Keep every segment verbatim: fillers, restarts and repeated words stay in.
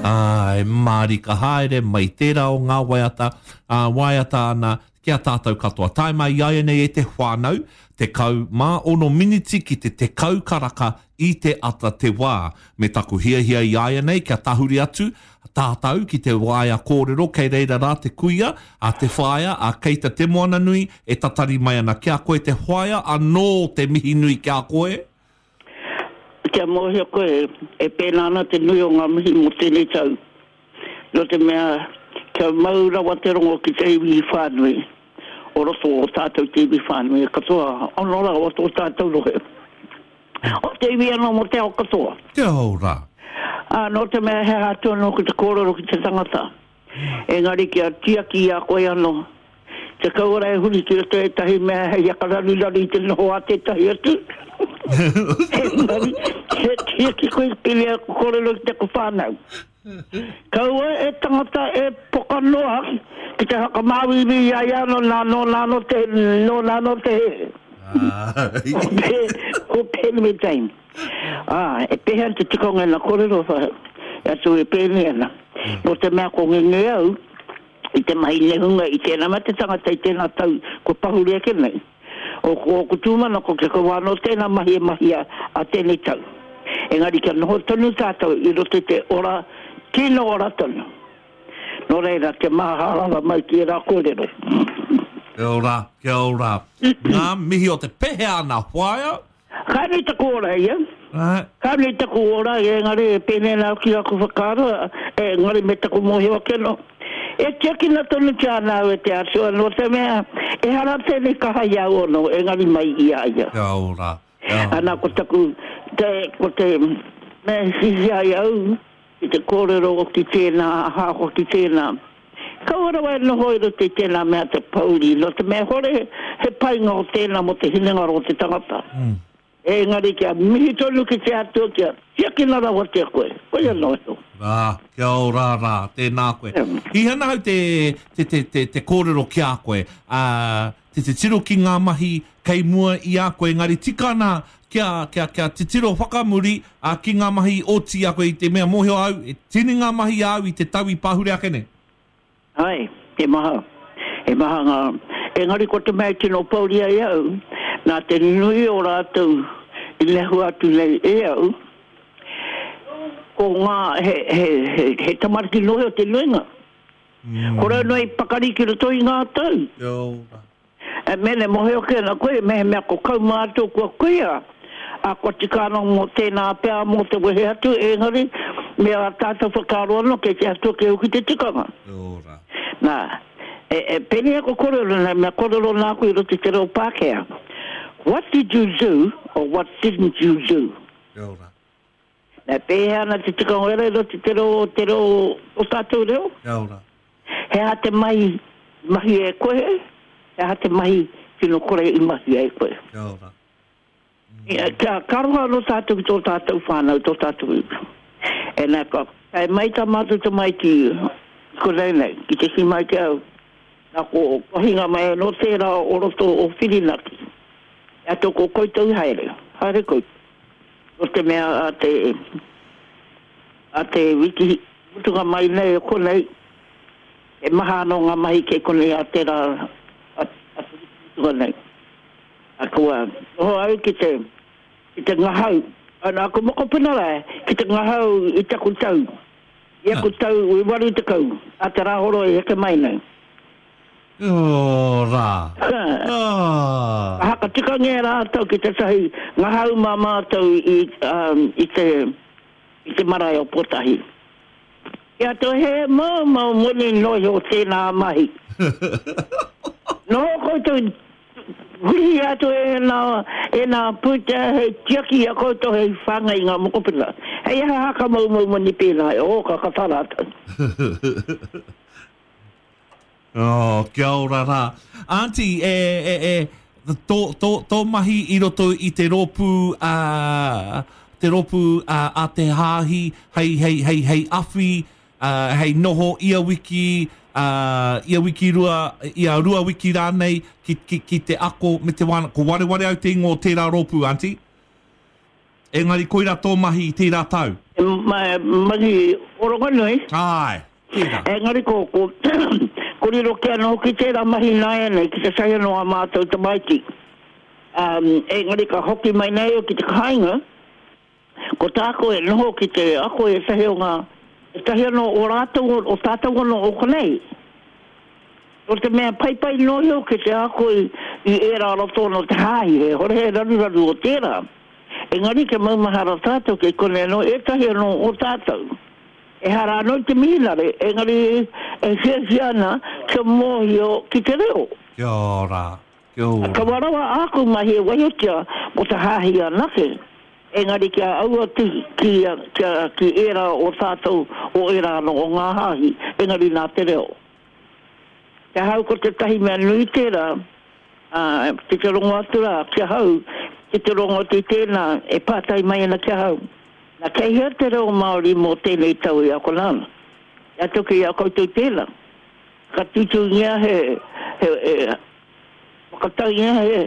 Ai, mārika haere mai tērā o ngā waiata, ā, waiata ana ki a tātou katoa. Tae mai i a nei e te whānau, tekau mā ono miniti ki te tekau karaka i te ata te wā. Me taku hiahia i a nei kia tahuri atu tātou ki te waea kōrero kei reira rā te kuia, a te whaea, a Keita Te Moananui e tatari mai ana kia koe te whaea anō te mihi nui ki a koe. Kia mōhio koe, e pēnā ana te nui o ngā mihi mō tēnei tau. Nō te mea, kia mau rawa te rongo ki te iwi whānui, o roto o tātou te iwi whānui, katoa, ono rawa tō tātou rohe. O te iwi anō mō te ao katoa. Kia ora. Ā, nō te mea he aha atu anō ki te kōrero ki te tangata. Engari kia tiaki i a koe anō. Te kaua e huri ki roto ētahi mea hei akararuraru i te noho a tētahi atu. Engari, he tiaki koe ki te kōrero ki taku whānau. Kaua e tangata e poka noa ki te whakamāuiui i a ia anō, nā nōna anō te, nōna anō te hē. Ko Pēni me Jane. Ā, e pēhea ana te tikanga ina kōrero e atu e pēnei ana. Nō te mea ko ngenge au i te mahi nehunga i tēnā mea te tangata i tēnā tau kua pahure ake nei. O ko ōku tūmanako kia kaua anō tēnā mahi e mahia a tēnei tau. Engari kia noho tonu tātou i roto i te ora, tino ora tonu. Nō reira, kia maharahara mai ki ērā kōrero. Kia ora, kia ora. Ngā mihi o te pehea ana whaea. Ka nui taku ora ia. Ka nui taku ora, engari e pēnei ana au ki aku whakaaro, engari me taku mōhio ake anō. E tiakina tonutia ana au e te Atua, nō te mea, ehara tēnei kaha i a au anō, engari mai i a ia. Kia ora, kia ora. Ana, ko taku, te, ko te mea e hiahia ai au, ki te kōrero ki tēnā, ahakoa ki tēnā. Kaua rawa e noho i roto i tēnā mea te pōuri, nō te mea hore he painga o tēnā mō te hinengaro o te tangata. Engari kia mihi tonu ki te Atua kia tiakina rawatia koe, koia noa iho. Rā, kia ora rā, tēnā koe. Hihana au te, te, te, te, te kōrero ki a koe, ā, te titiro ki ngā mahi kei mua i a koe, engari tika ana kia, kia, kia titiro whakamuri, ā, ki ngā mahi i oti i a koe i te mea mōhio au, e tini ngā mahi āu i te tau i pahure ake nei. Āe, he maha, he maha ngā, engari ko te mea i tino pōuri ai au, nā te nui o rātou i nehua atu nei e au, ko ngā, he, he, he, he tamariki noa iho te nuinga. Ko rau noa i pakari ki roto i ngā tau. Kia ora. E mene mohio ake ana koe, mehemea ko kaumātua kua kuia, a kua tika anō mō tēnā pea mō te wehe atu, engari me ā tātou whakaaro anō kei te atu ake hoki te tikanga. Kia ora. Nā, e, e pēnei aku kōrero nei, mea kōrero nāku i roto i te reo Pākehā, What did you do or what didn't you do? Kia ora. E pēhea ana te tikanga wera i roto i te reo, te reo, o tātou reo? Kia ora. He aha te mahi i mahia e koe? He aha te mahi tino kore i mahia e koe? Kia ora. Mm. Kia ka aroha anō tātou ki tō tātou whānau, tō tātou iwi. E nā, ka tae mai tā mātou tamaiti i konei nei, ki te kī mai ki au, nā ko hinga mai anō tērā o roto o Whirinaki. E atu ko koutou haere, haere koutou. Nō te mea a te, a te wiki mutunga mai nei o konei, he maha anō ngā mahi kei konei a tērā, a, a te wiki mutunga nei. A kua noho au ki te, ki te ngahau, ana aku mokopuna rā, ki te ngahau i taku tau, i aku tau i waru tekau, a te Rāhoroi heke mai nei. Ora. Ah. Ka haka-tikangia rātou ki tētahi ngahau mā mātou i, i te, i te marae o Pōtahi. Ki a toi he moumou moni noa iho tēnā mahi. Noho koutou huri atu ēnā, ēnā pūtea hei tiaki i a koutou hei whāngai i ngā mokopuna. Hei aha haka moumou moni pēnā, oh ka kata rātou. Oh, kia ora rā. Aunty, e, e, e, tō, tō, tō mahi i roto i te rōpū, a, te rōpū a, a te hāhi, hei, hei, hei, hei awhi, a, hei noho ia wiki, a, ia wiki rua, ia rua wiki rānei, ki, ki, ki te ako me te wānanga. Ko wareware au te ingoa o tērā rōpū, Aunty. Engari koirā tō mahi i tērā tau. E mahi oronganui. Ai, tērā. Engari ko, ko, ko riro ki anō ki tērā mahi nāianei, ki te sahi anō a mātou tamaiti. Um, engari ka hoki mai nei o ki te kāinga, ko tāko e noho ki te ako e sahi o ngā, e tahi anō o rātou, o, o tātou anō o konei. O te mea paipai nohio ki te ako i, i ērā roto no te hāhi, he hore he raruraru o tērā. Engari ke maumahara tātou ke kone anō, ētahi anō o tātou. E hara anō te mihinare, engari e hiahia ana kia mōhio ki te reo. Kia ora, kia ora. Ka warawa āku mahi e waihotia mo te hāhi anake. Engari kia aua ki, ki, ki, ki ērā o tātou, o ērā anō o ngā hāhi, engari nā te reo. Te hau ko te tahi mea nui tērā, uh, ki te rongo atu rā, ki ahau, ki te rongo atu i tēnā, e pātai mai ana ki ahau. Nā kei hea te reo Māori mō tēnei tau i akona ana. Ia toki i a koutou tēnā. Ka tūtūngia he, he, he whakataungia he,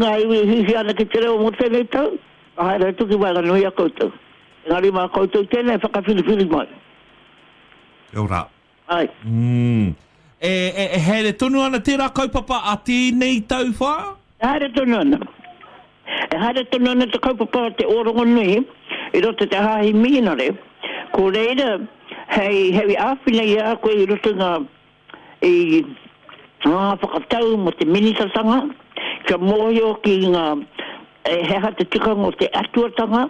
ngā iwi e hihi ana ki te reo mō tēnei tau, ka haere atu ki waenganui a koutou. Engari mā koutou tēnā e whakawhiriwhiri mai. Kia ora. Ai. Mm. E, e, e haere tonu ana tērā kaupapa a tēnei tau whā? E haere tonu ana. E haere tonu ana te kaupapa te Orongonui i roto te hāhi mihinare. Ko reira, hei, hei āwhina i a koe i roto ngā, i ngā whakatau mo te minitatanga, kia mōhio ki ngā, e, he aha te tikanga o te atuatanga,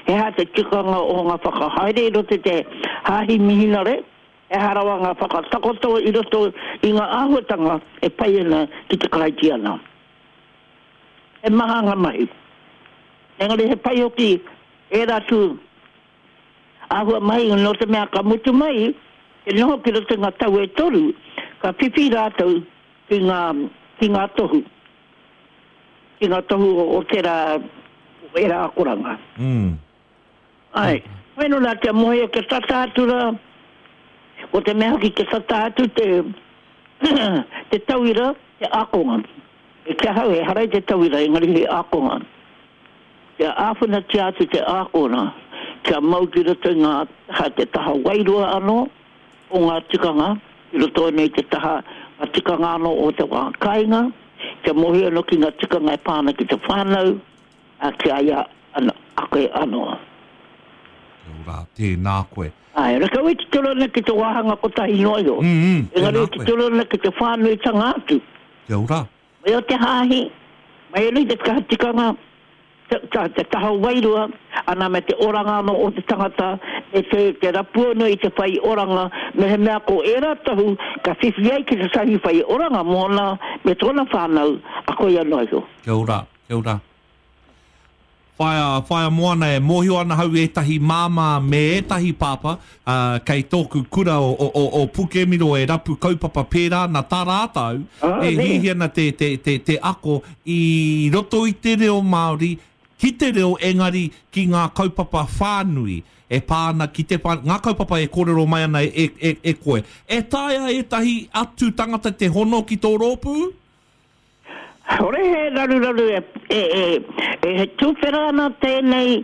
he aha te tikanga o ngā whakahaere i roto te hāhi mihinare, e harawa ngā whakatakoto i roto i ngā āhuatanga e pai ana ki te Karaitiana. E maha ngā mahi. Engari he pai hoki ērā tū āhua mahi no te mea ka mutu mai, e noho ki roto ngā tau e toru, ka whiwhi rātou ki ngā, ki ngā tohu. Ki ngā tohu o, o tērā, o ērā akoranga. Mm. Ai, weno rā kia mohi kia tata atu rā, ko te mea hoki kia tata atu te, te tauira, te ākonga. E kia hau, e harai te tauira, engari he ākonga. Kia āwhinatia atu te ākonga, kia mau ki roto i ngā taha, te taha wairua anō o ngā tikanga, ki roto nei te taha, ngā tikanga anō o te wā kāinga, kia mohi anō ki ngā tikanga e pāna ki te whānau, a ki a ia ano, ake anō. Kia ora, tēnā koe. Ai, reka e titiro ana ki te wāhanga kotahi noa iho. Mm, mm, Engari tēnā e koe. titiro ana ki te whānuitanga atu. Kia ora. Mai o te hāhi, mai anō i te kaha tikanga, te, te, te taha wairua, ana me te oranga anō o te tangata, e te, te rapu anō i te whai oranga, me he mea ko ērā tohu, ka whiwhi ai ki te sahi whai oranga mōna, me tōna whānau, a koe anō iho. Kia ora, kia ora. Whaia, whaia moana e mōhio ana hau ētahi māmā me ētahi pāpā, uh, kei tōku kura o, o, o, o Pukemiro e rapu kaupapa pērā na tā rātou, Ah, e ne. hihi ana te, te, te, te ako i roto i te reo Māori, ki te reo engari ki ngā kaupapa whānui e pā ana ki te whā, ngā kaupapa e kōrero mai ana e, e, e koe. E taea ētahi atu tangata te hono ki tō rōpū? Hore he raruraru e, e, e, e he tūwhera ana tēnei,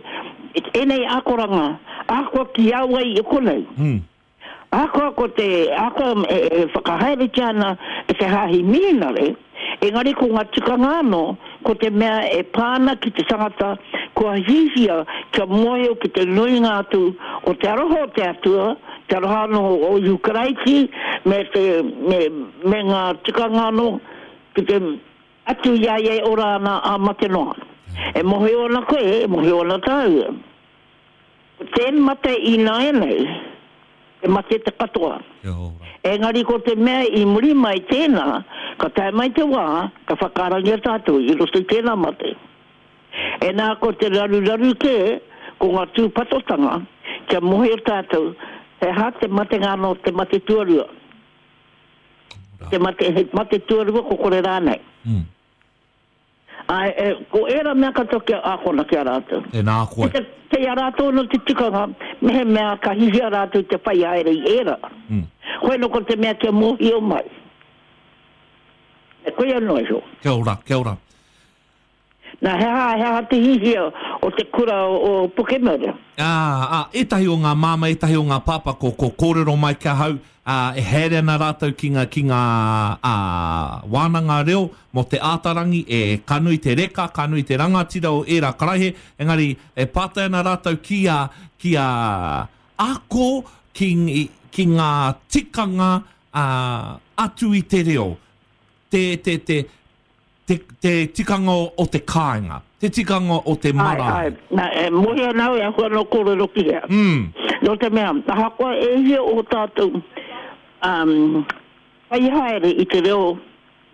tēnei akoranga, ahakoa ki au ai i konei. Mm. Ahakoa ko te, ahakoa e, e whakahaeretia ana e te hāhi mihinare, engari ko ngā tikanga anō, ko te mea e pāna ki te tangata, kua hihia kia mōhio ki te nuinga atu o te aroha o te atua, te aroha anō o Ihu Karaiti, me, te, me, me ngā tikanga anō, ki te atu i a ia e ora ana a mate noa. E mōhio ana koe, e mōhio ana tāua. Ko tēn mate i nāianei, e mate te katoa. Kia ora. Engari ko te mea i muri mai tēnā, ka tae mai te wā, ka whakaarangia tātou i roto i tēnā mate. E nā ko te raruraru kē, ko ngā tūpatotanga, kia mōhio tātou, he hā te matenga anō te mate tuarua. Te mate, he mate tuarua ko kore rānei. Mm. Ai, e, ko ērā mea katoa kia ākona ki a rātou. Tēnā koe. Te, te a rātou no te tikanga, mehemea ka hihia rātou te whai haere i ērā. Mm. Koe no ko te mea kia mōhio mai. E koe anō iho. Kia ora, kia ora. Nā, he aha, he aha te hihia o te kura o, o Pukemere? Ā, ā, ētahi o ngā māmā, ētahi o ngā pāpā ko, ko kōrero mai ki ahau, ā, e haere ana rātou ki ngā, ki ngā ā, wānanga reo mō te ātarangi, e ka nui te reka, ka nui te rangatira o ērā karaihe, engari e pātai ana rātou ki a, ki a ako ki, ki ngā tikanga ā, atu i te reo, te, te, te, te, te tikanga o, o te kāinga, te tikanga o te marae. Ai, ai. Nā, e mōhio ana au e ahu anō kōrero ki hea. Mm. Nō te mea, ahakoa e hia o tātou um, whai haere i te reo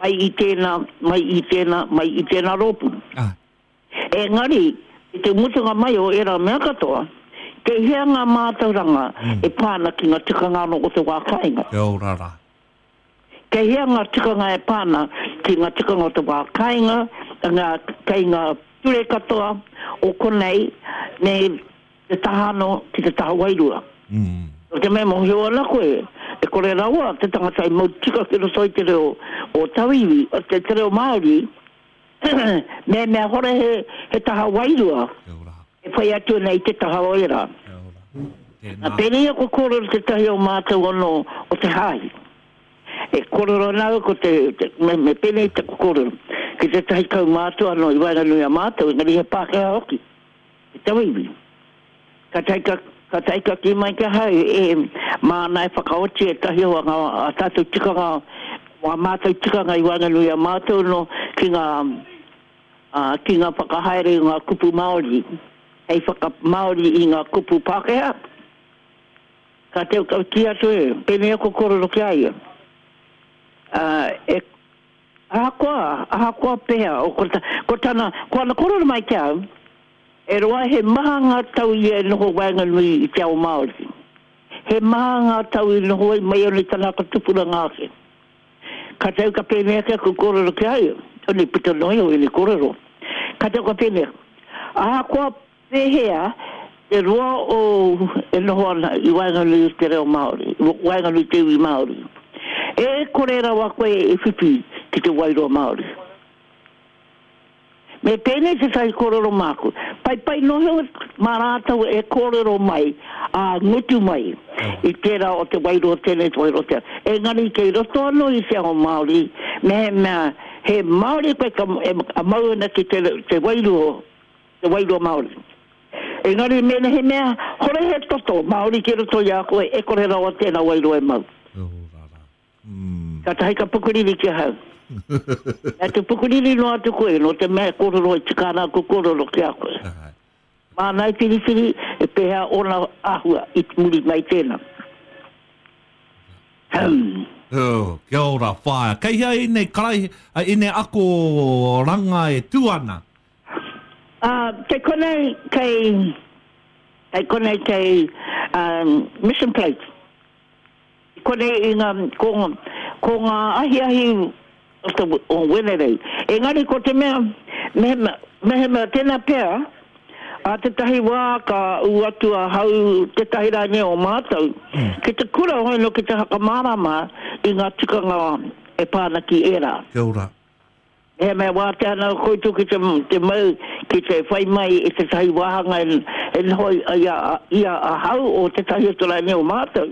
mai i tēnā, mai i tēnā, mai i tēnā rōpū. Ah. Engari, i te mutunga mai o ērā mea katoa, kei hea ngā mātauranga Mm. e pā ana ki ngā tikanga anō o te wā kāinga. Kia ora rā. Kei hea ngā tikanga e pā ana ki ngā tikanga o te wā kāinga, ngā, kei ngā ture katoa o konei, me te taha anō ki te taha wairua. Mm. Nō te mea mōhio ana koe, e kore rawa te tangata i mau tika ki roto i te reo o tauiwi, o te, te reo Māori, me mea hore he, he taha wairua Kia ora. e whai atu ana i te taha o ērā. Kia ora. Nā, Tēnā. pēnei aku kōrero tētahi o mātou anō o te hāhi. E kōrero ana au ko te, te me, me pēnei taku kōrero, ki tētahi kaumātua anō i waenganui a mātou, engari he Pākehā hoki, te tauiwi. Ka taika, ka taika ki mai ki ahau, e māna e whakaoti e tahi o ngā a tātou tikanga, o a mātou tikanga i waenganui a mātou no ki ngā, a, ki ngā whakahaere i ngā kupu Māori, hei whakamāori i ngā kupu Pākehā. Ka teo ka ki atu e, pēnei aku kōrero ki a ia. Uh, e, ahakoa, ahakoa pēhea, o ko, ta, ko tana, ko ana kōrero mai ki au, e roa he maha ngā tau ia e noho waenganui i te ao Māori. He maha ngā tau i noho ai mai ana i tana whakatupuranga ake. Ka tau ka pēnei ake aku kōrero ki a ia, oni puta noa iho ēnei kōrero. Ka tau ka pēnei, ahakoa pēhea te roa o e noho ana i waenganui i te reo Māori, waenganui i te iwi Māori. E kore rawa koe e whiwhi ki te wairua Māori. Me pēnei te tahi kōrero māku. Pai pai noho mā rātou e kōrero mai, a ngutu mai, i tērā o te wairua tēnei, te wairua tēnei. Engari kei roto anō i te ao Māori, me he mea, he Māori koe ka, e, a mau ana ki te, te wairua, te wairua Māori. Engari mēnā he mea, hore he toto Māori ki roto i a koe, e kore rawa tēnā wairua e mau. Kia ora rā. Mm. Ka tahi ka pukuriri ki ahau. Nā te pukuriri noa atu koe, no te mea kōrero e tika ana aku kōrero ki a koe. Ai. Māna e whiriwhiri, e pēhea ōna āhua i muri mai tēnā. Hmm. Oh, kia ora, whaea. Kei hea ēnei karai, ēnei ako ranga e tū ana? Uh, kei konei, kei, kei konei kei um, Mission Place. Konei i ngā, ko, ko ngā ahiahi o te, o Wenerei. Engari ko te mea, mehemea, mehemea tēnā pea, a tētahi wā ka ū atu a hau tētahi rānei o mātou, ki te kura hoi no ki te whakamārama i ngā tikanga e pā ana ki ērā. Kia ora. He mea wātea ana koutou ki te, te mau, ki te whai mai i tētahi wāhanga e, e noho i a, i a ahau o tētahi atu rānei o mātou.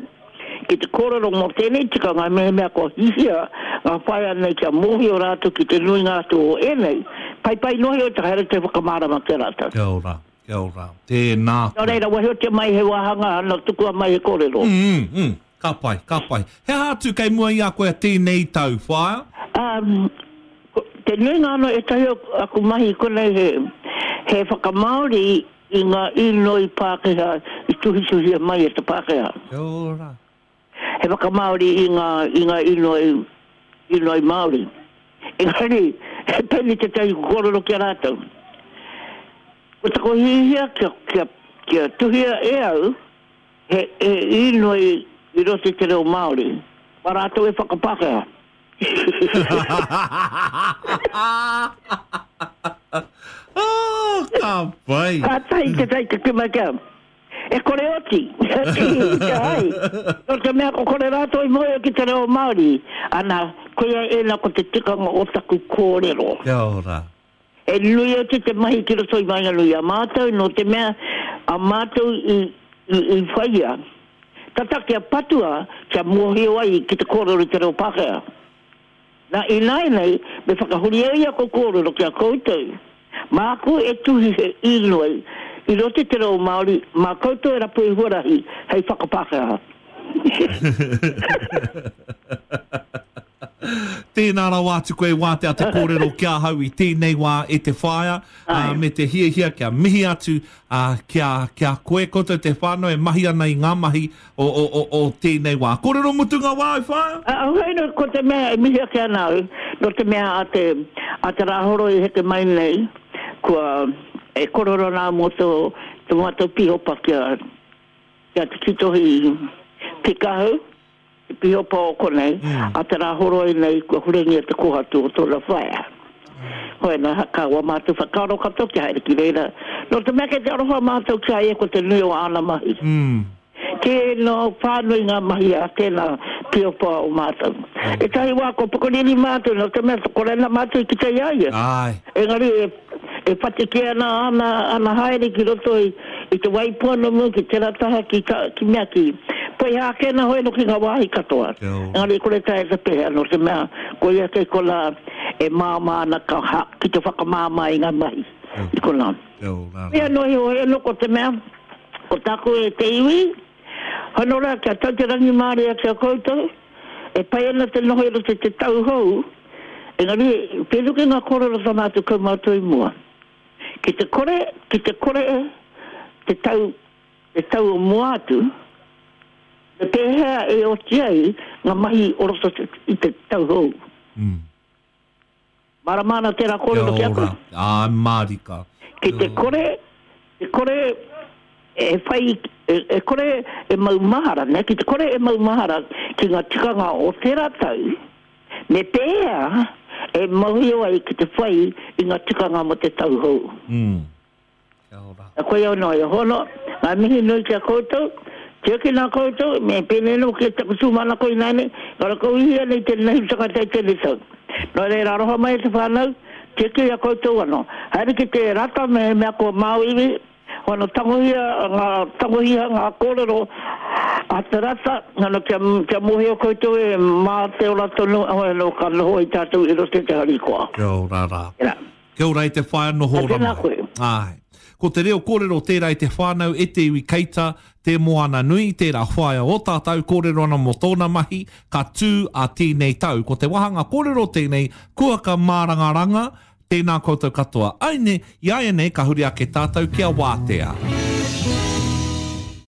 Ki te kōrero mō tēnei tikanga, mehemea kua hihia ngā whaea nei kia mōhio rātou ki te nuinga atu o ēnei, pai pai nohi o te haere te whakamārama ki a rātou. Kia ora, kia ora. Tēnā Nō reira, wahiotia mai he wāhanga, ana tukua mai he kōrero. Mm, mm, mm. Ka pai, ka pai. He aha atu kei mua i a koe a tēnei tau, whaea? Um, ko- te nuinga anō ētahi o aku mahi konei he, he whakamāori i ngā inoi Pākehā i tuhituhia mai e te Pākehā. Kia ora. He whakamāori i ngā, i ngā inoi, inoi Māori. Engari, he pēnei tētahi kōrero ki a rātou. Ko taku hihia kia, kia, kia tuhia e au, he, he inoi i roto i te reo Māori. Mā rātou e whakapākehā. Oh, ka pai. Ka tahi te tai te kima kia. E kore oti. Te ai. Nō te mea ko kore rātou i mōhio ki te reo Māori. Ana, koia ēnā ko te tikanga o taku kōrero. Kia ora. E nui atu te mahi ki roto i waenganui a mātou, nō te mea a mātou i, i, i whaia. Tata kia patua, kia mōhio ai ki te kōrero i te reo Pākehā. Nā, ināianei, me whakahuri au i aku kōrero ki a koutou. Māku e tuhi he īnoi i roto i te reo Māori, mā koutou e rapu i huarahi hei whakapākehā. Tēnā rawa atu koe wātea te kōrero ki ahau i tēnei wā e te whaea, uh, me te hiahia kia mihi atu uh, kia, kia koe koutou te whānau e mahi ana i ngā mahi o, o, o, o tēnei wā. Kōrero mutunga wā, e whaea? Uh, hoi no, ko te mea e mihi ake ana au, no te mea a te, a te rāhoroi i heke mai nei, kua e kororo nā mō tō, tō mātou pihopa kia, kia te titohi Pikahu, te pihopa o konei, mm. a te rāhoroi nei kua hurengia te kohatu o tōna whaea. Hoi nā, ka wa mātou whakaaro katoa kia haere ki reira. Nō te mea kei te aroha mātou ki a ia ko te nui o āna mahi. Mm. Tēnā whānui ngā mahi a tēnā pihopa o mātou. Mm. Ētahi wā ko pukuriri mātou, nō te mea kore ana mātou i kite i a ia. Ai. Engari e, e whatike ana ana, ana haere ki roto i, i te Waipounamu, ki tērā taha, ki, ta, ki mea ki Poihākena hoi no ki ngā wāhi katoa. Engari kore taea te pēhea, nō te mea ko ia kei konā e māmā ana ka, ha, ki te whakamāmā i ngā mahi i konā. Ia noa iho, hoi anō ko te mea, ko tāku e te iwi, hono rā kia tau te rangimārie ki a koutou, e pai ana te noho i roto i te tau hou, engari pēnei ki ngā kōrero tā mātou kaumātua i mua. Ki te kore, ki te kore te tau, te tau o mua atu, me pēhea e oti ai ngā mahi o roto i te tau hou. Mm. Mārama ana tērā kōrero ki a koe? Ā, mārika. Ki te kore, te kore e whai, e, e kore e mau mahara, ne? Ki te kore e mau mahara ki ngā tikanga o tērā tau, me pēhea e mauhio ai ki te whai i ngā tikanga mo te tau hou. Mm. Kia ora. Koia anō e hono, ngā mihi nui ki a koutou, tiakina koutou, me pēnei anō ki taku tūmanako ināianei, ka rakauhia nei tēnei tangata i tēnei tau. Nō reira aroha mai e te whānau, tiaki i a koutou anō. Haere ki te rata me mea ko Māuiui, hono tangohia ngā, tangohia ngā kōrero a te rata, hono kia, kia mōhio koutou e mā te ora tonu, hono ka noho i tātou i roto i te harikoa. Kia ora rā. Tēnā. Kia ora i te whaea noho Tēnā rama. koe. Ai. Ko te reo kōrero tērā i te whānau e te iwi keita, te moana nui, tērā whaea o tātou kōrero ana mō tōna mahi, ka tū a tēnei tau. Ko te wāhanga kōrero tēnei, kuaka mārangaranga, tēnā koutou katoa. Aine, i aia nei ka huri ake tātou kia wātea.